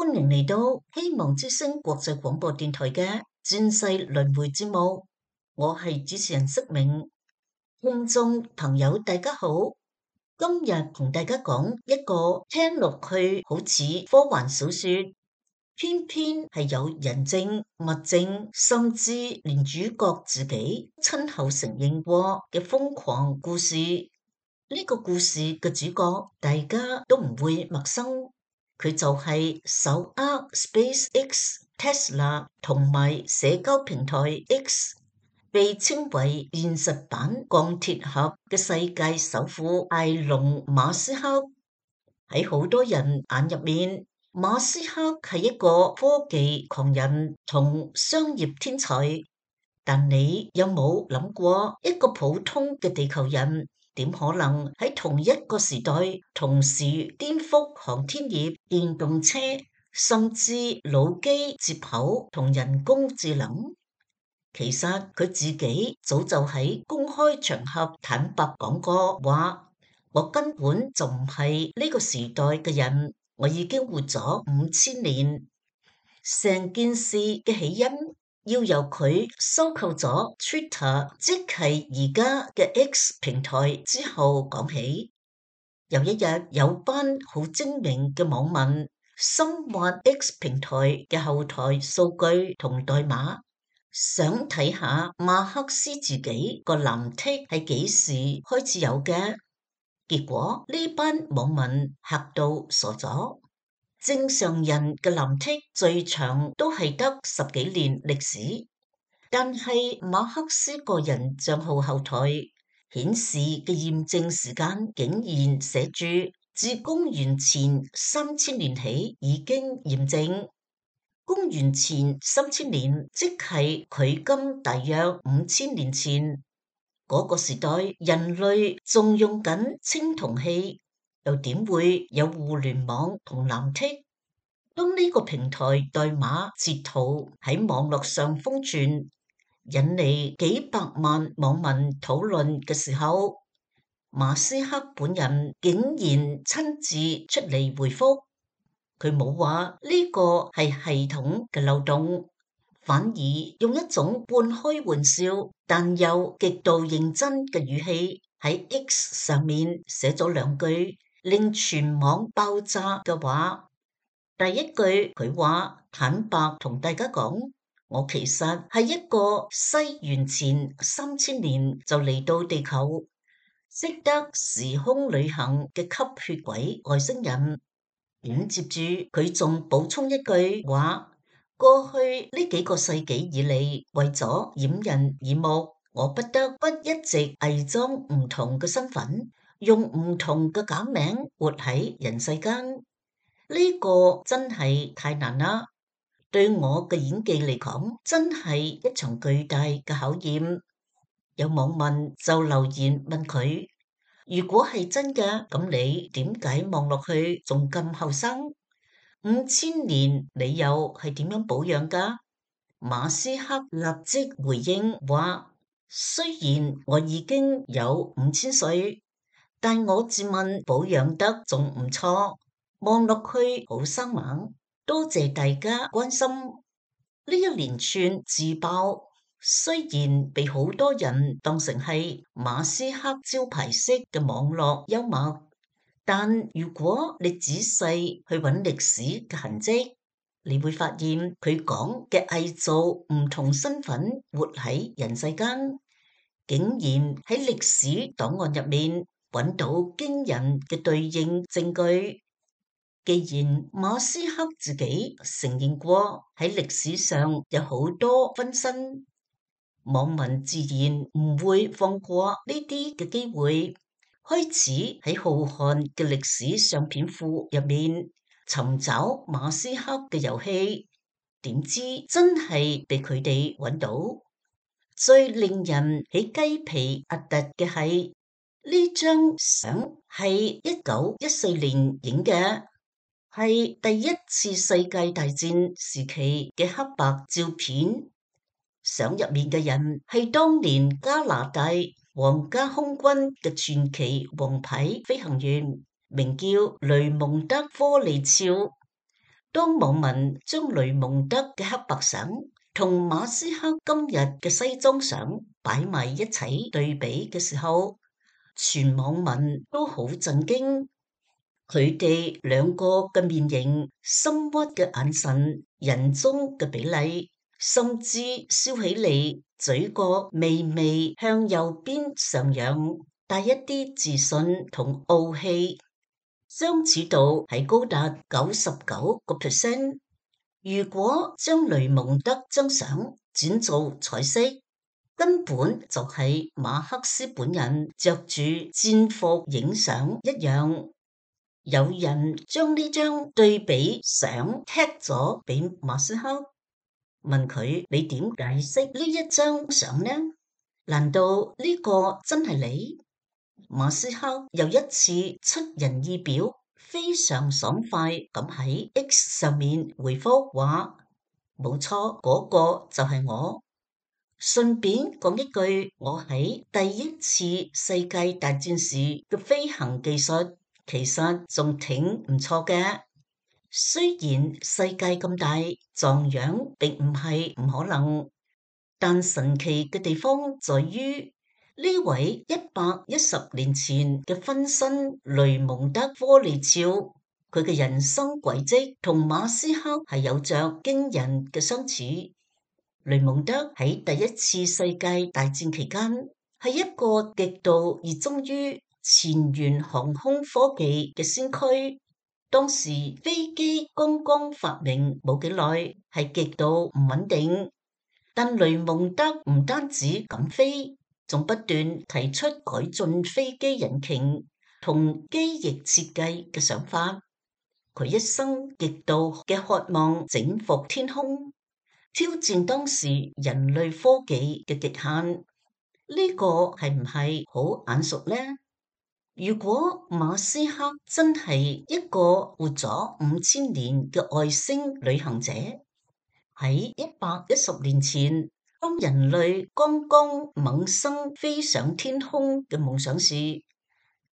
歡迎嚟到希望之聲國際廣播電台嘅轉世輪迴節目，我係主持人釋明。聽眾朋友大家好，今日同大家講一個聽落去好似科幻小說，偏偏係有人證、物證，甚至連主角自己親口承認過嘅瘋狂故事。呢個故事嘅主角大家都唔會陌生。佢就係手握 SpaceX、Tesla 同埋社交平台 X， 被稱為現實版鋼鐵俠嘅世界首富埃隆馬斯克。喺好多人眼入面，馬斯克係一個科技狂人同商業天才。但你有冇諗過，一個普通嘅地球人點可能喺同一個時代同時顛覆航天業、電動車，甚至腦機接口同人工智能？其實佢自己早就喺公開場合坦白講過話，我根本就唔係呢個時代嘅人，我已經活咗5000年。成件事嘅起因要由佢收購咗 Twitter， 即係而家嘅 X 平台之後講起。有一日，有班好精明嘅網民深挖 X 平台嘅後台數據同代碼，想睇下馬克思自己個藍剔係幾時開始有嘅。結果呢班網民嚇到傻咗。正常人嘅藍剔最長都係得10幾年歷史，但係馬克思個人賬號後台顯示嘅驗證時間竟然寫住自公元前3000年起已經驗證。公元前3000年即係距今大約5000年前，嗰個時代人類仲用緊青銅器，又點會有互聯網同藍剔？當呢個平台代碼截圖喺網絡上瘋傳，引嚟幾百萬網民討論嘅時候，馬斯克本人竟然親自出嚟回覆。佢冇話呢個係系統嘅漏洞，反而用一種半開玩笑但又極度認真嘅語氣喺 X 上面寫咗2句令全網爆炸嘅話。第一句佢話，坦白同大家講，我其實係一個西元前3000年就嚟到地球，識得時空旅行嘅吸血鬼外星人。接住佢仲補充一句話，過去呢幾個世紀以嚟，為咗掩人耳目，我不得不一直偽裝唔同嘅身份，用唔同嘅假名活喺人世間。呢個真係太難啦，對我嘅演技嚟講，真係一場巨大嘅考驗。有網民就留言問佢，如果係真嘅，咁你點解望落去仲咁後生？5000年你又係點樣保養噶？馬斯克立即回應話，雖然我已經有5000歲，但我自問保養得仲唔錯。望落去好生猛，多謝大家關心。呢一連串自爆，雖然被好多人當成係馬斯克招牌式嘅網絡幽默，但如果你仔細去揾歷史嘅痕跡，你會發現佢講嘅偽造唔同身份活喺人世間，竟然喺歷史檔案入面揾到驚人嘅對應證據。既然馬斯克自己承認過喺歷史上有好多分身，網民自然唔會放過呢啲嘅機會，開始喺浩瀚嘅歷史相片庫入面尋找馬斯克嘅遊戲。點知真係被佢哋揾到。最令人起雞皮疙瘩嘅係呢張相係1914年影嘅。係第一次世界大戰時期嘅黑白照片，相入面嘅人係當年加拿大皇家空軍嘅傳奇王牌飛行員，名叫雷蒙德·科利肖。當網民將雷蒙德嘅黑白相同馬斯克今日嘅西裝相擺埋一齊對比嘅時候，全網民都好震驚。佢哋兩個嘅面型、深鬱嘅眼神、人中嘅比例，甚至笑起嚟嘴角微微向右邊上揚，帶一啲自信同傲氣，相似度係高達99%。如果將雷蒙德張相轉做彩色，根本就係馬克思本人着住戰服影相一樣。有人將呢張對比相踢咗俾馬斯克，問佢：你點解釋呢一張相呢？難道呢個真係你？馬斯克又一次出人意表，非常爽快咁喺 X 上面回覆話：冇錯，嗰個就係我。順便講一句，我喺第一次世界大戰時嘅飛行技術其實仲挺唔錯嘅。雖然世界咁大，撞樣並唔係唔可能，但神奇嘅地方在於呢位110年前嘅分身雷蒙德·科利肖，佢嘅人生軌跡同馬斯克係有着驚人嘅相似。雷蒙德喺第一次世界大戰期間係一個極度熱衷於前沿航空科技嘅先驅。當時飛機剛剛發明冇幾耐，係極度唔穩定。但雷蒙德唔單止敢飛，仲不斷提出改進飛機引擎同機翼設計嘅想法。佢一生極度嘅渴望征服天空，挑戰當時人類科技嘅極限。呢個係唔係好眼熟呢？如果馬斯克真係一個活咗5000年嘅外星旅行者，喺110年前，當人類剛剛萌生飛上天空嘅夢想時，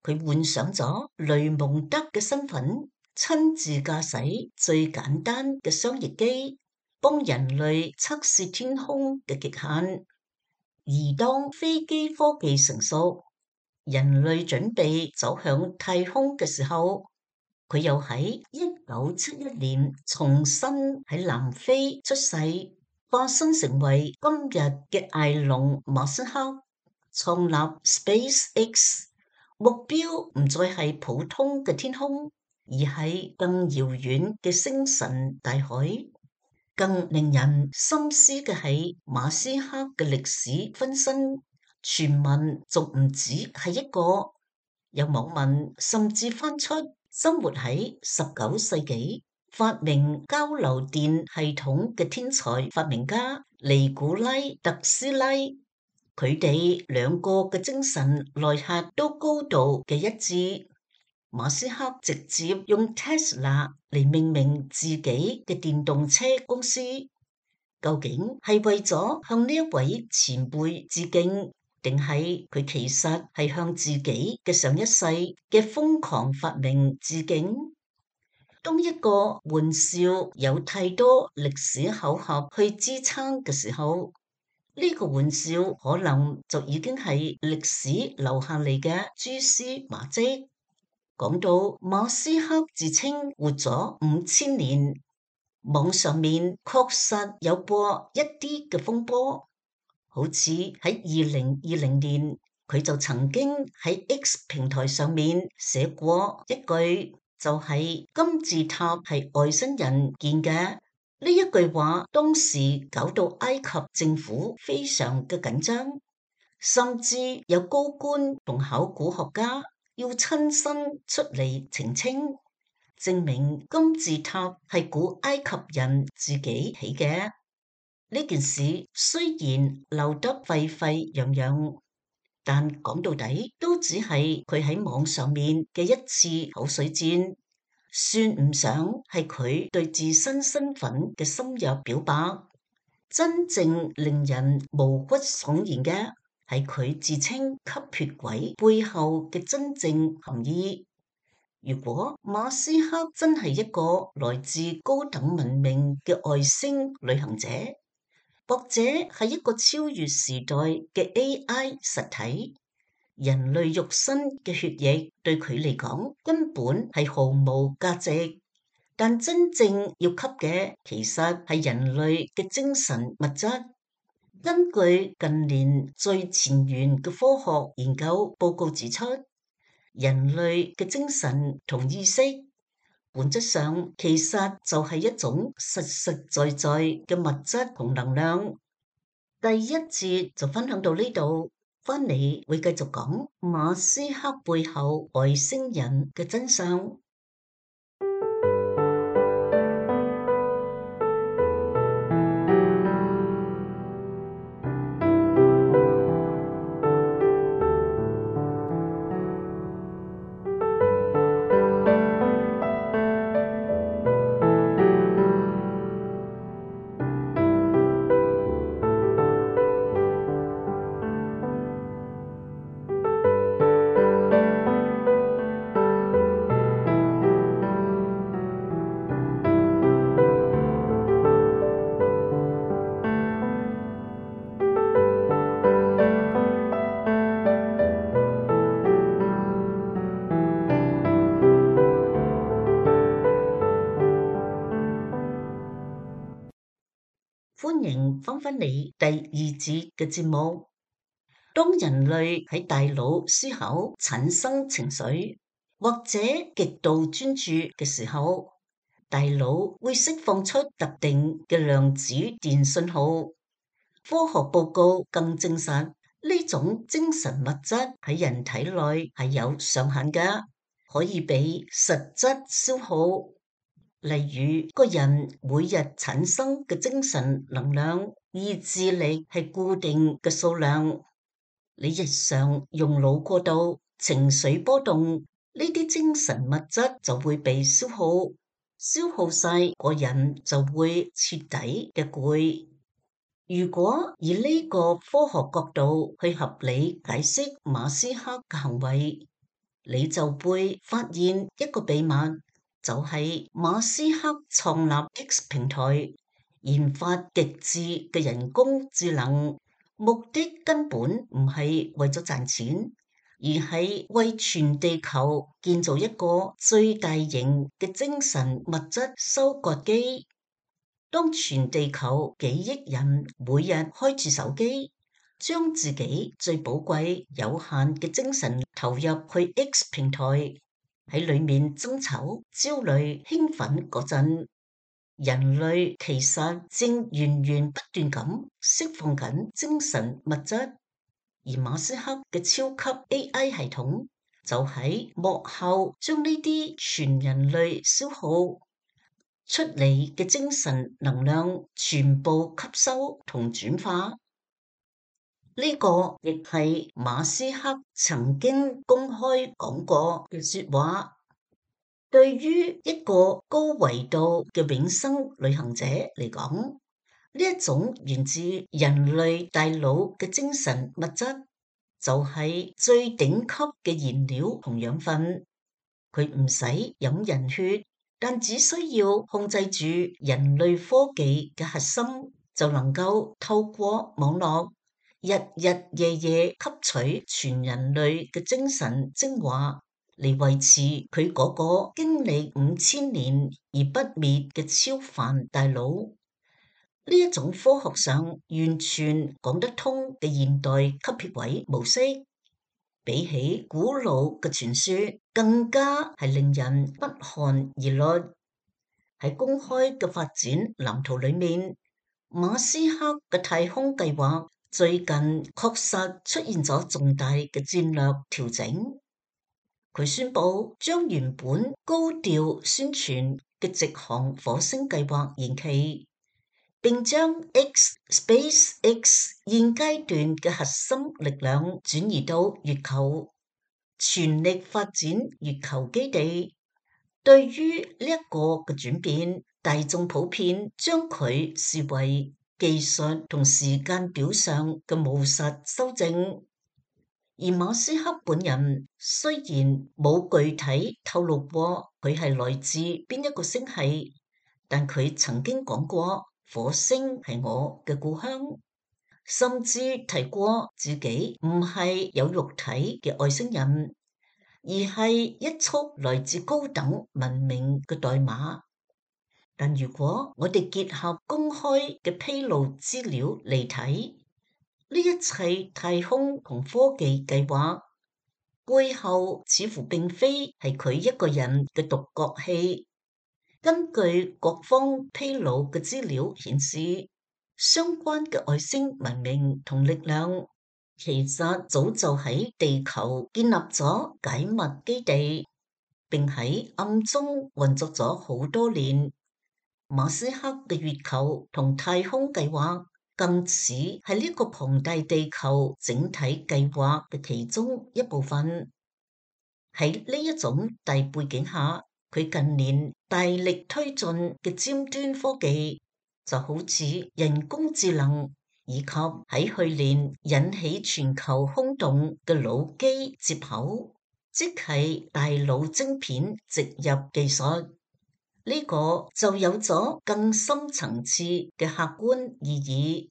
佢幻想咗雷蒙德嘅身份，親自駕駛最簡單嘅雙翼機，幫人類測試天空嘅極限。而當飛機科技成熟，人類準備走向太空嘅時候，佢又喺1971年重新喺南非出世，化身成為今日嘅埃隆·馬斯克，創立 SpaceX。目標唔再係普通嘅天空，而係更遙遠嘅星辰大海。更令人深思嘅係馬斯克嘅歷史分身，傳聞仲唔止係一個。有網民甚至翻出生活喺19世紀、發明交流電系統嘅天才發明家尼古拉特斯拉，佢哋兩個嘅精神內核都高度嘅一致。馬斯克直接用 Tesla 嚟命名自己嘅電動車公司，究竟係為咗向呢一位前輩致敬，定係佢其實係向自己嘅上一世嘅瘋狂發明致敬？當一個玩笑有太多歷史巧合去支撐嘅時候，呢個玩笑可能就已經係歷史留下嚟嘅蛛絲馬跡。講到馬斯克自稱活咗5000年，網上面確實有過一啲嘅風波，好似喺2020年，佢就曾經喺 X 平台上面寫過一句，就係金字塔係外星人建嘅。呢一句話當時搞到埃及政府非常嘅緊張，甚至有高官同考古學家要親身出嚟澄清，證明金字塔係古埃及人自己起嘅。呢件事雖然鬧得沸沸揚揚，但講到底都只係佢喺網上面嘅一次口水戰，算唔上係佢對自身身份嘅深入表白。真正令人毛骨悚然嘅係佢自稱吸血鬼背後嘅真正含義。如果馬斯克真係一個來自高等文明嘅外星旅行者，或者係一個超越時代嘅 AI 實體，人類肉身嘅血液對佢嚟講根本係毫無價值。但真正要吸嘅其實係人類嘅精神物質。根據近年最前沿嘅科學研究報告指出，人類嘅精神同意識本質上其實就係一種實實在在嘅物質同能量。第一節就分享到呢度，返嚟會繼續講馬斯克背後外星人嘅真相。歡迎返返嚟第二節嘅節目。當人類喺大腦思考、產生情緒或者極度專注嘅時候，大腦會釋放出特定嘅量子電信號。科學報告更證實呢種精神物質喺人體內係有上限嘅，可以被實質消耗。例如，個人每日產生嘅精神能量、意志力係固定嘅數量。你日常用腦過度、情緒波動，呢啲精神物質就會被消耗，消耗晒，個人就會徹底嘅攰。如果以呢個科學角度去合理解釋馬斯克嘅行為，你就會發現一個秘密。就係馬斯克創立 X 平台，研發極致嘅人工智能，目的根本唔係為咗賺錢，而係為全地球建造一個最大型嘅精神物質收割機。當全地球幾億人每日開住手機，將自己最寶貴有限嘅精神投入去 X 平台，喺裏面爭吵、焦慮、興奮嗰陣，人類其實正源源不斷咁釋放緊精神物質，而馬斯克嘅超級 AI 系統就喺幕後將呢啲全人類消耗出嚟嘅精神能量全部吸收同轉化。呢個亦係馬斯克曾經公開講過嘅說話。對於一個高維度嘅永生旅行者嚟講，呢一種源自人類大腦嘅精神物質，就係最頂級嘅燃料同養分。佢唔使飲人血，但只需要控制住人類科技嘅核心，就能夠透過網絡日日夜夜吸取全人類嘅精神精華，嚟維持佢嗰個經歷5000年而不滅嘅超凡大腦。呢一種科學上完全講得通嘅現代吸血鬼模式，比起古老嘅傳說，更加係令人不寒而慄。喺公開嘅發展藍圖裏面，馬斯克嘅太空計劃最近確實出現咗重大嘅戰略調整。佢宣布將原本高調宣傳嘅直航火星計劃延期，並將 SpaceX 現階段嘅核心力量轉移到月球，全力發展月球基地。對於呢一個嘅轉變，大眾普遍將佢視為技術同時間表上嘅務實修正。而馬斯克本人雖然冇具體透露過佢係來自邊一個星系，但佢曾經講過火星係我嘅故鄉，甚至提過自己唔係有肉體嘅外星人，而係一束來自高等文明嘅代碼。但如果我哋結合公開嘅披露資料嚟睇，呢一切太空同科技計劃背後似乎並非係佢一個人嘅獨角戲。根據各方披露嘅資料顯示，相關嘅外星文明同力量其實早就喺地球建立咗解密基地，並喺暗中運作咗好多年。馬斯克嘅月球同太空計劃更似係呢個龐大地球整體計劃嘅其中一部分。喺呢一種大背景下，佢近年大力推進嘅尖端科技，就好似人工智能，以及喺去年引起全球轟動嘅腦機接口，即係大腦晶片植入技術。呢個就有咗更深層次嘅客觀意義。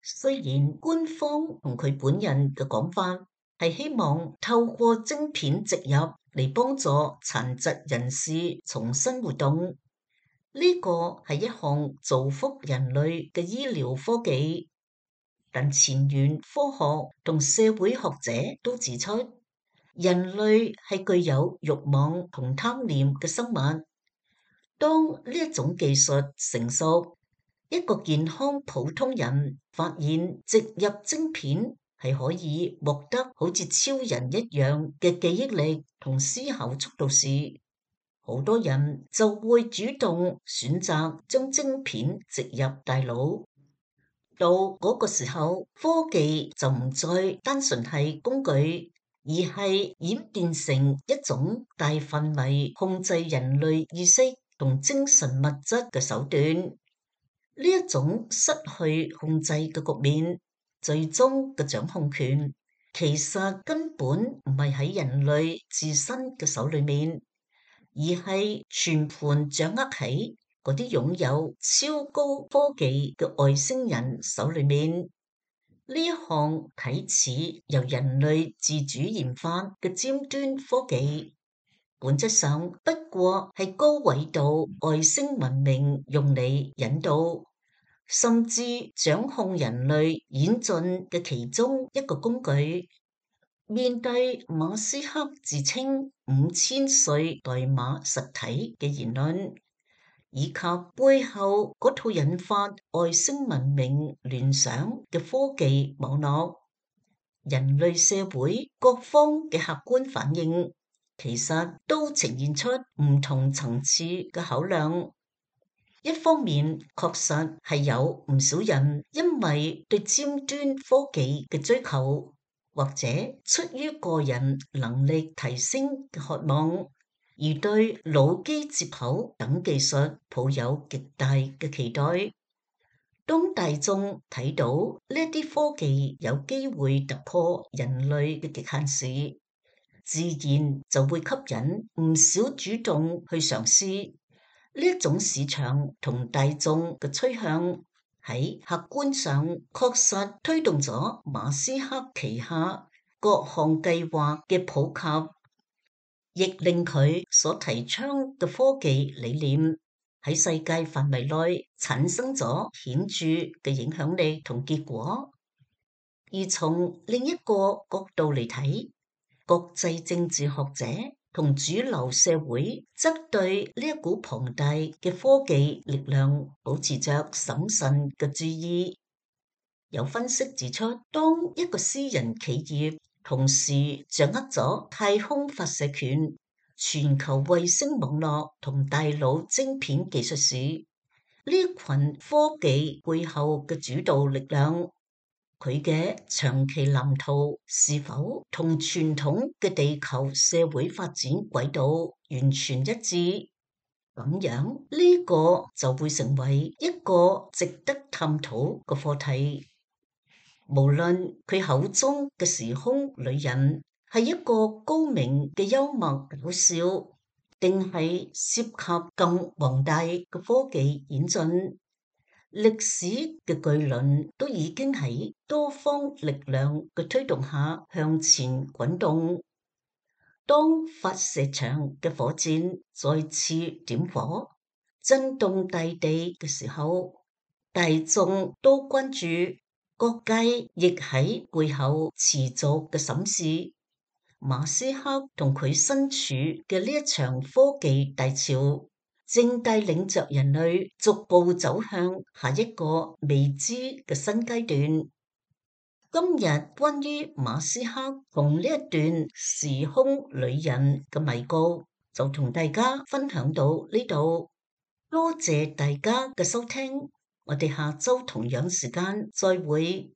雖然官方同佢本人嘅講法係希望透過晶片植入嚟幫助殘疾人士重新活動，呢個係一項造福人類嘅醫療科技，但前沿科學同社會學者都指出，人類係具有慾望同貪念嘅生物。當呢一種技術成熟，一個健康普通人發現植入晶片係可以獲得好似超人一樣嘅記憶力同思考速度時，好多人就會主動選擇將晶片植入大腦。到嗰個時候，科技就唔再單純係工具，而係演變成一種大範圍控制人類意識同精神物質嘅手段。呢一種失去控制嘅局面，最終嘅掌控權其實根本唔係喺人類自身嘅手裏面，而係全盤掌握喺嗰啲擁有超高科技嘅外星人手裏面。呢一項睇似由人類自主研發嘅尖端科技，本質上不過係高緯度外星文明用嚟引導，甚至掌控人類演進嘅其中一個工具。面對馬斯克自稱5000歲代碼實體嘅言論，以及背後嗰套引發外星文明聯想嘅科技網絡，人類社會各方嘅客觀反應，其實都呈現出唔同層次嘅考量。一方面，確實係有唔少人因為對尖端科技嘅追求，或者出於個人能力提升嘅渴望，而對腦機接口等技術抱有極大嘅期待。當大眾睇到呢啲科技有機會突破人類嘅極限時，自然就會吸引唔少主動去嘗試。呢一種市場同大眾嘅趨向，喺客觀上確實推動咗馬斯克旗下各項計劃嘅普及，亦令佢所提倡嘅科技理念喺世界範圍內產生咗顯著嘅影響力同結果。而從另一個角度嚟睇，國際政治學者同主流社會則對呢一股龐大嘅科技力量保持着審慎嘅注意。有分析指出，當一個私人企業同時掌握咗太空發射權、全球衛星網絡同大腦晶片技術時，呢群科技背後嘅主導力量，佢嘅長期藍圖是否同傳統嘅地球社會發展軌道完全一致？咁樣呢個就會成為一個值得探討嘅課題。無論佢口中嘅時空旅人係一個高明嘅幽默搞笑，定係涉及更宏大嘅科技演進，歷史嘅巨輪都已經喺多方力量嘅推動下向前滾動。當發射場嘅火箭再次點火，震動大地嘅時候，大眾都關注，各界亦喺背後持續嘅審視。馬斯克同佢身處嘅呢一場科技大潮，正帶領着人類逐步走向下一個未知嘅新階段。今日關於馬斯克同呢一段時空旅人嘅迷局，就同大家分享到呢度。多謝大家嘅收聽，我哋下周同樣時間再會。